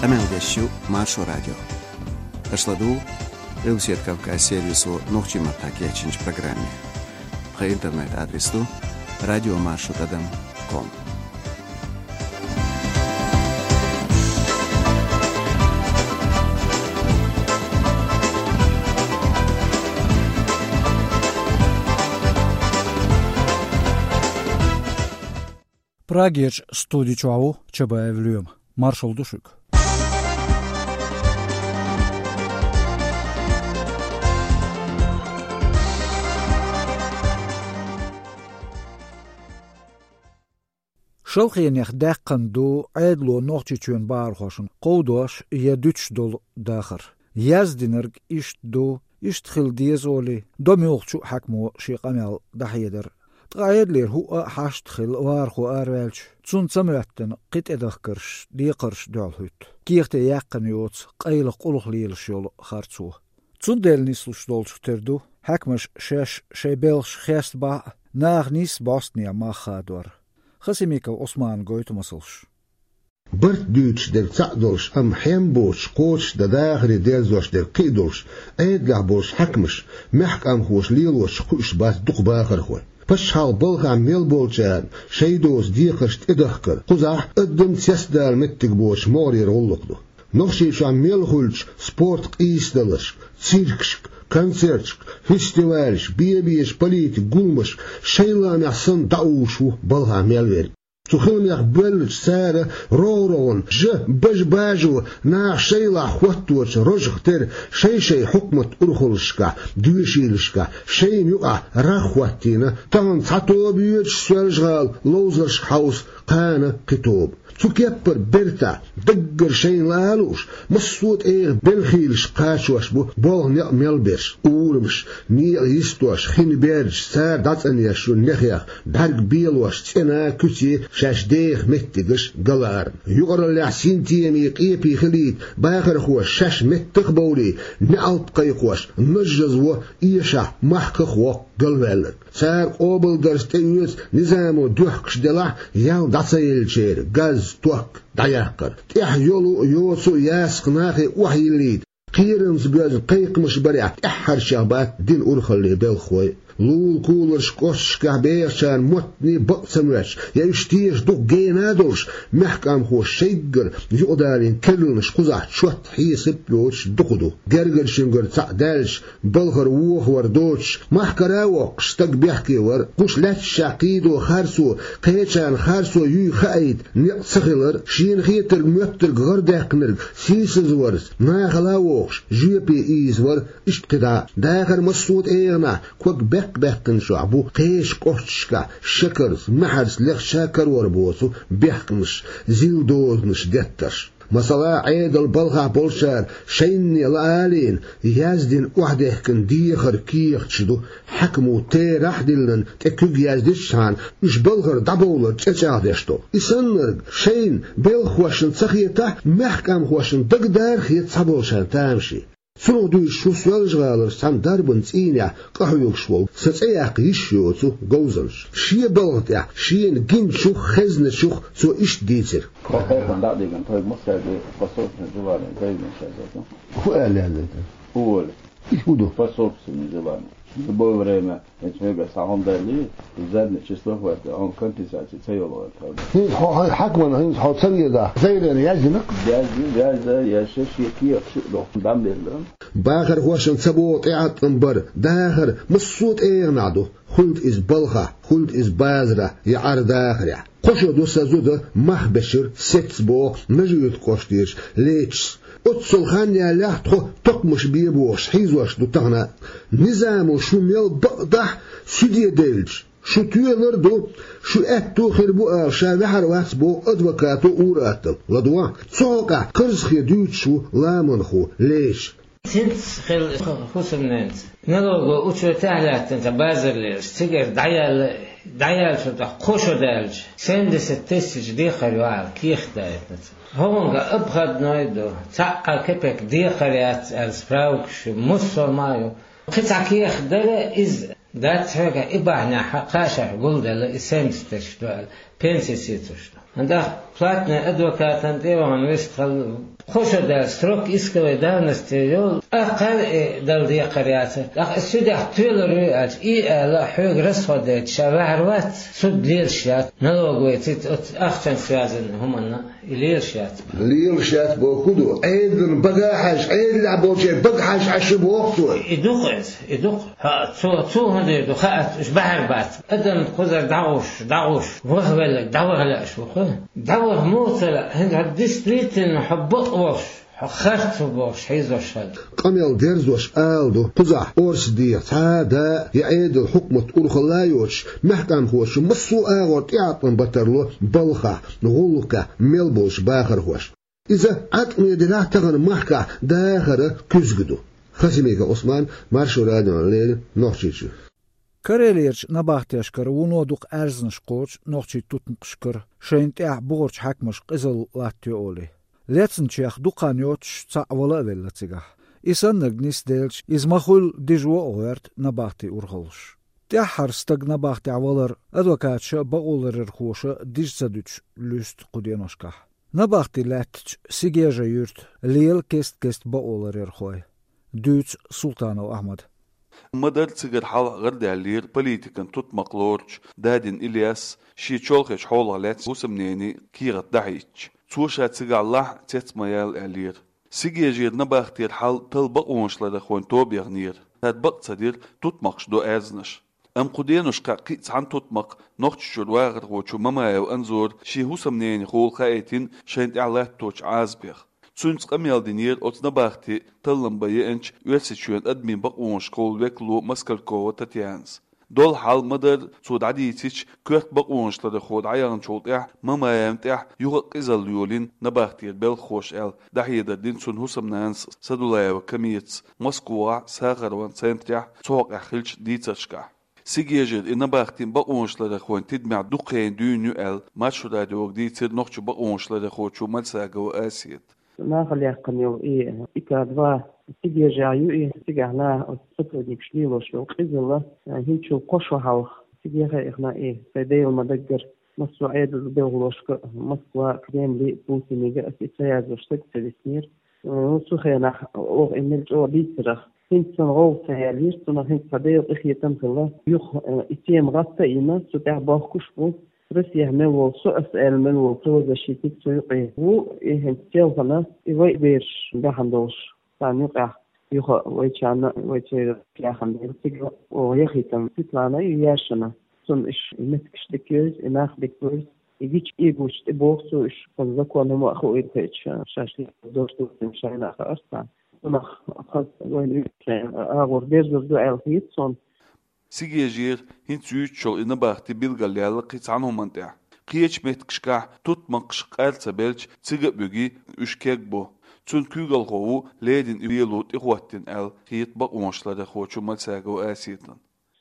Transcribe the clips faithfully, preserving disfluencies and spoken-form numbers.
Къамел деш ю Маршо радио. Аша ладугӀу Къилбаседа Кавказ сервисо нохчийн маттахь кечйинчу программе. Тхан интернет-адрес ду радиомаршо тӀадам ком. Прагерчу студи чохь ву Чабаев Лоьма. Маршалла ду шуьга. Шалхенех даьккхина ду Ӏедало Нохчийчоьнан бахархошна кховдош я дуьтуш долу дахар. Яздинарг иштта ду, иштта хила деза олий, Домюлхачу хьаькамо шен къамел дӀахьедар. Ткъа Ӏедалера хӀуъа а хьашт хилла вахархо араваьлча, цунна ца моьттина кхин тӀедахкарш, декхарш дуьхьал хӀуьтту. Кехате яьккхина йоцу къайлаха къулхалелаш йолу харцо. Цундела нислуш долчух тера ду, хьаькамаш шаьш шайн белхаш хестабахь а, наха нийсса бӀостанехьа мах хадор. Хасимиков Ӏусмана гойту масалш. Барт дуьйцуш дерг цхьаъ долуш, амма хьем боцуш, кхочушдан дахаре дерзош дерг кхин а долуш, Ӏедалехь болуш хьаькамаш, мехкан къамхоша лелош кхуьуш бац дукха бахархой. Пачхьалкхан балхахь мел болчарна шайн доцу декхарш тӀедахкар, кхузахь адам цецдала меттиг боцуш могӀарера гӀуллакх ду. Нохчийчохь мел хуьлучу спорт къийсадаларшка, циркашка, концерташка, фестивалашка, бен-бен политикан гуламашка шайн лаамехь санна дӀаувш ву балхахь мел верг. Цу хиламех боьллачу цара рогӀу-рогӀунна, жа бажа-бажо наха шайлахь хӀотточу рожах тера шай-шай хьукмат урхаллашкахь, доьшийлашкахь шайна юкъахь рагӀ хӀоттийна, тахана цхьа тоба йоьдуш Соьлжа-ГӀала ловзаршка хьовса, кхана кхин тоба. Цу кеппара бертахь, даггара шайна лаа а лууш, массо а тӀегӀан белхийлаш кхачош бу болх, некъ мел берш, урамаш, некъа йистош, хин бердаш, цара дӀацӀанъеш ю нехех, бӀаьрг белош, цӀена, куьце шаьш деха меттигаш галаарна. Юкъараллехь синтемий, къепий хилийта бахархоша шаьш меттах а бовлий, неӀалт кхайкхош, нажжазво эшахь, махках а воккху галваьлларг. Цара къобалдарца тӀеоьцу низамо доьхкуш делахь, ял дӀа ца еллачеран газ, ток дӀаяккхар. ТӀехь йолу а, йоцу а ясакх нахе охьайиллийта, кхерамца боьзна кхайкхамаш барехь, тӀаьххьарчех бац динан урхаллин белхахой. Лула-куларш кӀошташкахь бехачарна моттане бакъ ца моьттуш, я уьш теша дукха гена а долуш, мехкан къамхоша шайггара юкъадалийна керланаш кхузахь чот, хьесап а йоцуш дукха ду. Гергарчуьнгара цхьаъ даьлча, балхара вохавар доцуш, махкара а воккхуш, стаг бехке вар, кхуьш лаьтташехь кхийдо харцо, кхечарна харцо юй хаийта некъ ца хилар, шена хетарг-моьттарг гӀардаьккхинарг сийсазварца, нахала а вохуш, жоьпе ийзавар, иштта кхидӀа а. Дахаран массо а тӀегӀанехь ког баьккх-баьккхинчохь бу кхечу кӀошташкахь шекарца, маьхьарца лехча а карор боцу бехкамаш, зил дозанаш, деттарш. Масала, Ӏедалан балхахь болчара шайна лаалийна, яздина, охьадехкина дехар, кехаташ ду, хьаькамо терахь а диллина, тӀе куьг яздичхьана, уьш балхара дӀабовлар цӀе чӀагӀдеш долу. И саннарг шайна, белхахошна ца хетахь, мехкан къамхошна дагадара хета цхьаболчарна тамашийна. Цунах дуьйцуш ву Соьлжа-ГӀалара цхьана дарбан цӀийнехь къахьоьгуш волу, сан цӀе яккха йиш йоцу говзанча. Шен балха тӀехь шена гиначух, хезначух цо иштта дийцира. По этому дадиган той мусаги по собственному желанию заявление сейчас это. ХӀун аьлла яздайтар? Уволить. Иза хӀун ду? По собственному желанию. В любое время, значит, мы говорим, сахьон дали, и заднее число хватит, а он компенсации ца йолу это. ХӀинца хьо, хьо, хьаькаман хӀинца хьо ца везахь, заявление яздина? Яздина, яздина, я шеш, я кехат шу ду. Дам беза. Бахархошна ца боху тӀеӀаткъам бар, дахар массо а тӀегӀанехь ду, хуьлда иза балхахь, хуьлда иза базарахь я Ӏар-дахарехь. Кхо шо ду сан зуда мах бечира, сецна боху Нажи-Юьртан кӀоштарчу Лечас. Оццул хан ялалехь тхо токхамаш бе бохуш хьийзош ду тахана а. Низамо шу мел бакъдахь, суьде девлча, шу тоьлур ду, шу аьтто хир бу ала ша ваьхьар вац боху адвокато ур-атталла. ЛадогӀа, цу хьокъехь карзахе дуьйцуш ву ламанхо Леча. ХӀинца хилла хӀусамненца, налоговый учётехь лаьттина цхьа базар лелаш, цигара дӀаяьлла, дӀаяьллачул тӀаьхьа кхо шо даьлча, семьдесят тысяч декхар ю аьлла, кехат даийтина цо. ХӀокхуьнга обходной ду, цхьа а кепек декхар яц аьлла справкаш ю, муссо а ма ю. Кхин цхьа кехат дара, иза дац хьоьгахь, и бахьанехь кхашахь гулделла, и семьдесят тысяч ду аьлла, пенси сецош ду. ХӀанз платный адвокатан тӀе вахана вист хала, кхо шо даьлла срок исковой давности йолу, тӀаккха и дала декхар яц. ТӀаккха и судья тоьлур ю аьлча, и аьлла, хьоьга расход дайта ша ваьхьар вац, суд лелаш яц, налоговый цӀе оцу ахчанца связанный хӀуманна и лелаш яц. Лелаш яц боху хӀун ду? Ӏедална бага хьаьжча, Ӏедалехь болчеран бага хьаьжча Ӏаш ю боху цо. И ду-кх иза, и ду-кх. ХӀаъ, цо, цо хӀун дийр ду, хаьа, уьш баьхьар бац. Адамна кхузара дӀагӀуш, дӀагӀуш, ваха велларг дӀаваха лаьаш ву-кх. ДӀаваха муха ца лаьа, хӀинца хьо действительно хьо бакъ волуш, хьо харц ву бохуш хьийзош хилла. Къамел дерзош ала ду, кхузахь орца дехьа цхьа а да я Ӏедал хьукмат урхалла а йоцуш, маьхкамхоша массо а агӀор тӀеӀаткъам бан тарло балхахь, гӀуллакхехь мел болчу бахархошна. Иза Ӏаткъаме делахь а тахана махкахь дахаран куьзга ду. Хасимиков Ӏусман, Маршо радиона леррина, Нохчийчуьра. Карелерчу набахтешкара вуно дукха аьрзнаш кхочу нохчийн тутмакхашкара шайна тӀехь бухарчу хьаькамаша къизалла латтайо олий. Лецначех дукха хан йоцуш цхьаъ вала а велла цигахь. И саннарг нисделча, иза ма-хуьллу дижо а гӀоьрта набахтин урхаллаш. ТӀаьххьара стаг набахтехь валар адвокаташа а, бакъоларъярхоша а дижа ца дуьтуш луьсту кху деношкахь. Набахти лаьттачу Сигежа юьрта лела кест-кеста бакъоларъярхой. Дуьйцу Султанов Ахьмада. Ма-дарра цигара хьалха гӀарадаьллера политикан тутмакх лоручу Дадин Ильяс, шен чолхечу хьолах лаьцна хӀусамненан кехат дӀахьийтича. Цо ша цигахь лахьа а, цец а ма яла аьллера. Сигежера набахтера хьал талла бакъонашларъярхойн тоба яхнера. Цара бакъ ца дира, тутмакхаш до аьрзнаш. Амма кху деношкахь кхин а цхьана тутмакха Нохчийчуьра вахархочо Мамаев Анзора шен хӀусамненехула хаийтина шайна тӀехь латточу Ӏазапех. Цуьнца къамел динера оцу набахти таллам бан еанчу Оьрсийчоьнан адамийн бакъонашкахула векало Москалькова Татьянас. Долу хьал ма-дарра цо дӀадийцича, коьрта бакъонашларъярхо дӀаяхначул тӀаьхьа Мамаевна тӀехь юха а къизалла йолийна набахтера белхахоша аьлла, дӀахьедар дина цуьнан хӀусамнанас Садулаева Камиятас Москвахь, Сахарован центрехь цу хьокъехь хиллачу дийцаршкахь. Сигежера и набахти бакъонашларъярхойн тидамехь дукха хенахь дуьйна ю аьлла, Маршо радиога дийцира нохчийн бакъонашларъярхочо Мальсагова Асета. Нахала яьккхина йолу и ИК-два Сигежехь ю и, цигахь наха оцу сотрудникаша лелош йолу къизалла, хӀинцачул кхо шо хьалха Сигеха а яхна и сайн Делан ма-даггара массо а Ӏедалан белхалошка а, Москва а, Кремле а, Путинга а аса и ца яздеш стаг ца виснера. Ну, цу хенахь оха и мел чӀогӀа дийцарах, хӀинца сан гӀовгӀа ца яьллера, цунах хӀинца цхьа Делан къинхетам а хилла. Юха, э, и тема гӀатта а йина, цу тӀехь бохкуш а бу. Россехь мел волу со, аса аьлла мел волу правозащитник цу юкъе ву, и хӀинца селхана и вай бераш баьхна долуш, царна юкъехь юха а вайчарна, вай церан яхана дела цига оха яхийтина Светлана ю, Яшина. Цунна уьш и меттигаш дика евза, и нах дика вевза, и гича эгочу тӀебоху цо уьш, хӀунда закон хӀума а хуийла хеташ, шаьш лелош долчу шайна а хаьара царна. Цунах хаза вайна уьш шайн агӀор дерзор ду аьлла хета суна. Сигежера хӀинца юьйцуш йолу и набахти билгалъяьлла кхин цхьана хӀуманна тӀехь. Кхечу меттигашкахь тутмакхаш къар ца белча, цига а буьгий, уьш кегбу. Цуьнан куьйгалхо ву леррина и лело тӀехӀоттийна аьлла хета бакъонашларъярхочо Мальсагова Асетана.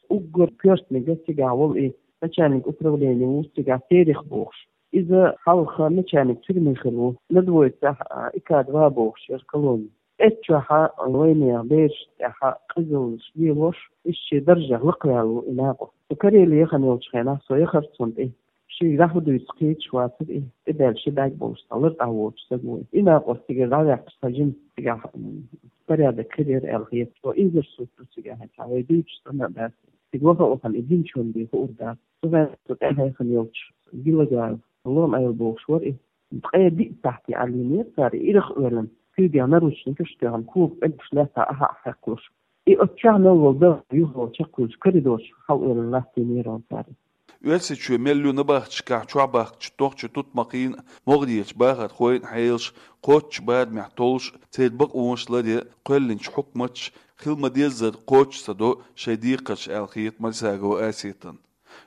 Уггар коьртаниг цигахь волу и начальник управления ву цигахь, Терехов бохуш. Иза хьалха начальник тюрьмы хилла ву, Надвоевцахь, а, ИК-два бохуш яра колони. Эццахь вайнехан берашна тӀехь къизаллаш лелош, иза шен даржех лакхаваьлла ву и накъост. Со Кареле яхана йолчу хенахь со яхара цунна тӀе. Шега дӀахӀу дуьйцу кхеташ вацара и, тӀебаьлла ши бӀаьрг болуш цхьа лартӀахь воцуш стаг ву и. И накъост цигара дӀаваьккхича, цхьа жима цигахь, м, порядок хир яра аьлла хета. Цо инзарсуьйту цигахь, хьан вай дуьйцуш санна а дац. Цига ваха а вахана, и динчун бен хуур дац. Цу хенахь со тӀаьхьа яхана йолчу Гилагаев Лом-Ӏела бохуш вара и. Ткъе диъ сахьте Ӏалийнера цара, ирах а оьллина, куьйгахь наручникаш а тоьхна, кога пӀелгаш лаьцна ахьа а хьекхалуш. И оцу чохь мел волу белхан юха чекхвуьллуш коридорчу хьалаоьллина латтийнера цара. Оьрсийчоь мел ю набахташкахь чохь бахкачу нохчийн тутмакхийн а, могӀарерчу бахархойн а хьелаш, кхоччуш барамехь толлуш а, церан бакъонаш ларъян кхоьллинчу хьукматаша хила ма-деззара кхочуш ца до шайн декхарш аьлла хета Мальсагова Асетана.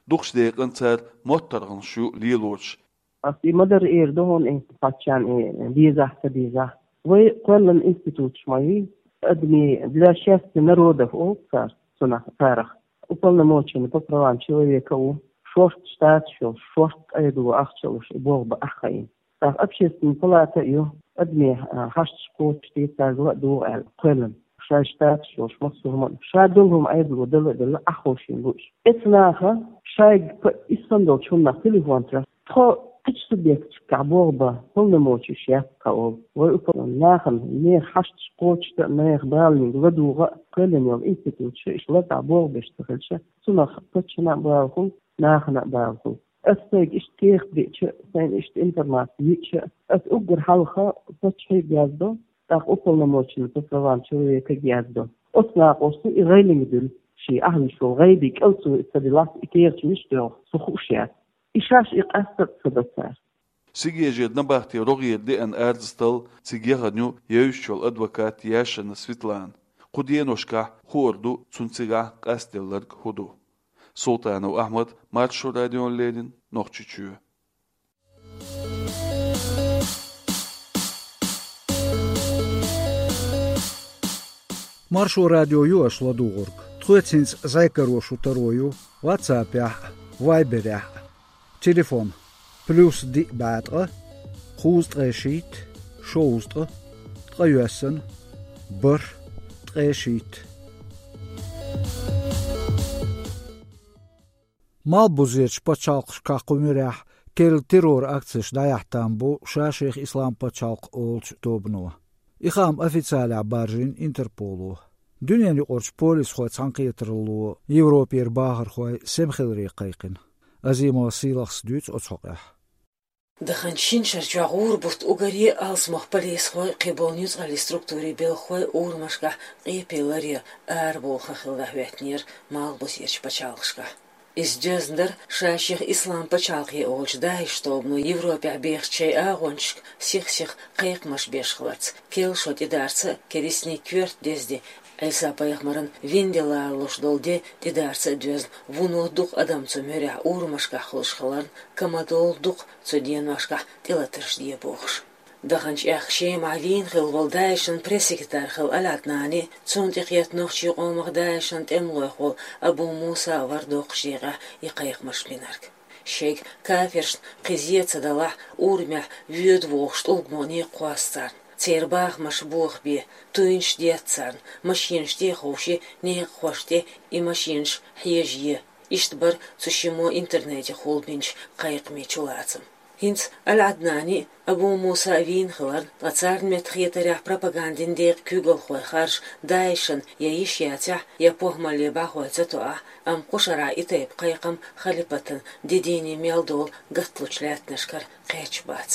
Дукхачу декъана цара моттаргӀанаш ю лелораш. Ас и ма-дарра эр ду хьуна, и паччахьна и дезахь, ца дезахь. Вай кхоьллина институташ ма ю, адми для счастья народов олу цара, цунах, царах. Уполномоченный по правам человека ву, шорта штаташ йолуш, шорта къайдало ахча луш, и болх бан ахь хаийна. ТӀаккха общественная палата а ю, адми, а, хьашташ кхочушде цаьргала а догӀу аьлла кхоьллина. Шайн штаташ йолуш, массо а хӀума, ша долу хӀума Ӏедало дала а делла, ахь ховшийна лууш. Эцу наха шайга п-, иссана долчу хӀуманах телефон тӀе тхо Кхыча субъекташкахь болх бан полномочеш яц тхан олу. Вай управлени нахана нехан хьашташ кхочушдан а, нехан баланиг ладугӀа а, кхоьллина йолу институташа иштта лазахь болх беш ца хилча, цунах паччахьна а бала хуьлу, нахана а бала хуьлу. Ас сайга иштта кехат биъча а, сайна иштта информаци йиъча а, ас уггар хьалха паччахье а яздо, тӀаккха уполномоченный по правам человека а яздо. Оцу накъост и гӀелинга дуьллу, шен ахьа вуьш волу гӀайби кӀел цо ца диллахь, и кехаташ мича доьгӀу, со хууш яц. И шаьш и къаьстта а ца до цара. Сигежера набахтин рогӀера деана арадастал цига яхана ю евзаш йолу адвокат Яшина Светлана. Кху деношкахь хуур ду цунна цигахь къастделларг хӀун ду. Султанов Ахьмад, Маршо радиона леррина, Нохчийчоь. Маршо радио ю аша ладугӀург. Тхоьца хӀинца зӀе каро шун таро ю WhatsApp-ехь а, Viber-ехь а. Телефон: плюс диъ бӀе ткъа, кхузткъе шийтта, шовзткъа, ткъайоьсна, бархӀ, ткъе шийтта. Малхбузерчу пачхьалкхашкахь кху муьрехь керла террор-акцеш дӀаяхьа там бу ша-шех Ислам пачхьалкх олучу тобано. И хаам официалехь баржийна Интерполо. Дуьненаюкъарчу полисхойн цхьаьнакхетаралло Европера бахархой сема хиларе кхайкхина. Азимова Сийлахьас дуьйцу оцу хьокъехь. Даханчу шина шарчохь гӀуран бутт уггаре а алсамох полисхой, кхиболу нуьцкъаллин структурийн белхахой урамашкахь къепе ларъян арабовла хан хилла хӀоьттинера Малхбузерчу пачхьалкхашкахь. Иза доьзна дара ша-шех Ислам пачхьалкх олучу ДАИШ тобано Европехь бехачу шайн агӀончашка сих-сиха кхайкхамаш беш хиларца, керла шо тӀедарца а, керистанийн коьрта деза де, Ӏийса-пайхамаран вина де лалуш долу де тӀедарца а доьзна, вуно дукха адам цу муьрехь урамашкахь хуьлуш хиларна, камадолу дукха цу деношкахь тӀелатарш де бохуш. Даханчу аьхка Шемахь вийна хилла волу ДАИШан пресс-секретарь хилла Аль-Ӏаднани, цунна тӀекхетта нохчийн къомах ДАИШан тӀемалойх волу Абу Муса вара доккхачу декъехь и кхайкхамаш бинарг. Шайга кафиршна кхин зен ца далахь, урамехь воьду вогӀуш тӀулгане кхосса царна. Церан бахамаш бохабе, туьйнаш детта царна, машинаш тӀе а ховший, некъахошна тӀе и машинаш хьежае. Иштта бара цу шиммо интернете хулбинчу кхайкхамийн чулацам. ХӀинца Аль-Ӏаднани а, Абу Муса а вийна хиларна, ткъа царна меттахетарехь пропагандин декъан куьйгалхой харжа ДАИШан я йиш яцахь, я похӀмалле бӀахой ца тоахь, амма кху шарахь и тайпа кхайкхам халипатан де дийне мел долу гатталучу лаьттанашкара кхеташ бац.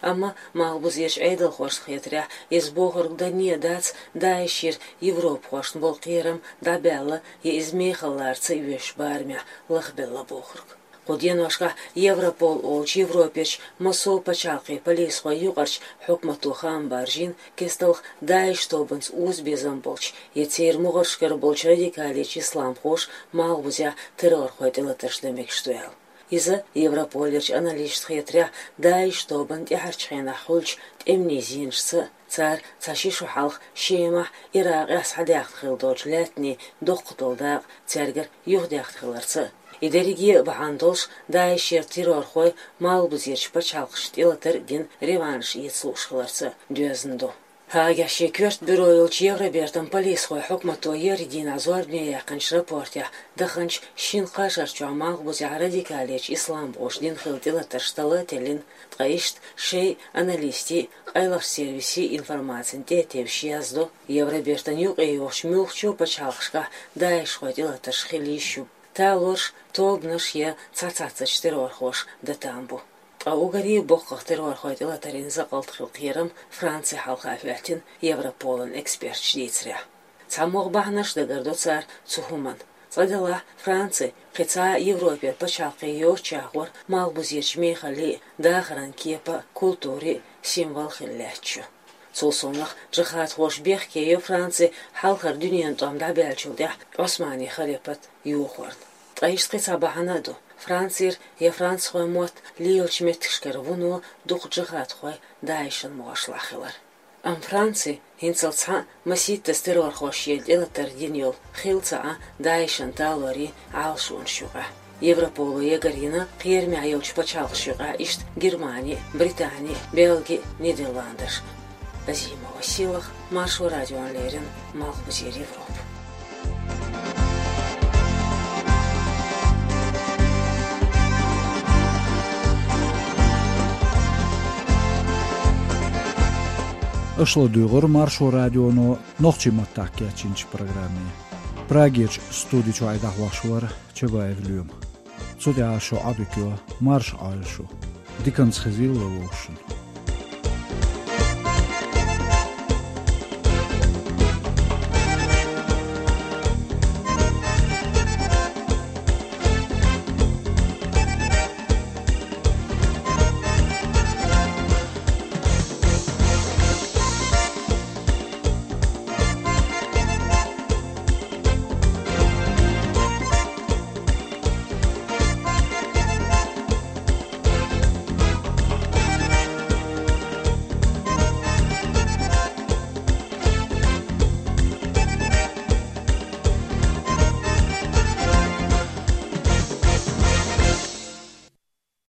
Амма Малхбузерчу Ӏедалхошна хетарехь, иза бохург данне а дац ДАИШера европахошна болу кхерам дӀабаьлла я иза мехаллаца йоьшучу барамехь лахбелла бохург. Кху деношкахь Европол олучу Европерчу массо а пачхьалкхийн полисхойн юкъарчу хьукмато хаам баржийна, кесталх ДАИШ тобанца узабезам болчу я церан могӀаршкара болчу радикалечу исламхоша Малхбузехь террорхойн тӀелатарш дан мегаш ду аьлла. Иза, Европолерчу аналисташна хетарехь, ДАИШ тобанна тӀаьхьарчу хенахь хуьлучу тӀеман зенашца а, цара цхьа ши шо хьалха Шемахь, Иракъехь схьадаьхна хилла долчу лаьттанийн доккха долу дакъа цаьргара юхадаьхна хиларца а, и дерриге а бахьана долуш, ДАИШера террорхой Малхбузерчу пачхьалкхашна тӀелатар а дина, реванш эца лууш хиларца а доьзна ду. Гаагехь шен коьрта бюро йолчу Евробертан полисхойн хьукмато еарин дийнахь зорбане яьккхинчу рапортехь даханчу шина-кхаа шарчохь Малхбузехь радикалечу исламхоша дина хилла тӀелатарш талла а теллина, ткъа иштта шайн аналистийн, къайлахчу сервисийн информацина тӀе а тевжаш яздо, Евробертан юкъе йогӀучу муьлххачу а пачхьалкхашкахь ДАИШхойн тӀелатарш хила йиш ю. Талорш тобанаш я цхьацца-цхьацца террорхоша дан там бу. Ткъа уггаре а боккхах террорхойн тӀелатарийн закъалт хилла кхерам Франци хьалха хӀоьттина, Европолан эксперташа дийцарехь. Цхьа могӀа бахьанаш дагардо цара цу хӀуманна. Цкъа делахь, Франци кхин цхьа а Европера пачхьалкх йоццушехь гӀора Малхбузерчу мехаллин а, дахаран кепан а, культурин а символ хилла лаьтташ ю. Цул совнаха, джихадхоша бехке йо Франци хьалхара дуьненан тӀом дӀабаьллачул тӀаьхьа Ӏусманийн халипат йохорна. Ткъа иштта кхин цхьа бахьана а ду. Францера я францхойн мотт лелачу меттигашкара вуно дукха джихадхой ДАИШан могӀаршлахь хилар. Амма Франци хӀинццалц цхьаъ масийттаза террорхоша шена тӀелатар дина йолу хилла ца Ӏа ДАИШан талорийн Ӏалашонаш юкъахь. Европоло ягарйина кхерамехь йолчу пачхьалкхаш юкъахь иштта Германи, Британи, Бельги, Нидерландаш. Азимова Сийлахь, Маршо радиона леррина, Малхбузера Европа. Аша ладугӀура Маршо радионо нохчийн маттахь кечйинчу программе. Прагерчу студи чохь и дӀахьош вара Чабаев Лоьма. Цу тӀехь шун Ӏадика йо марша Ӏойла шу. Диканца хезийла вовшашна.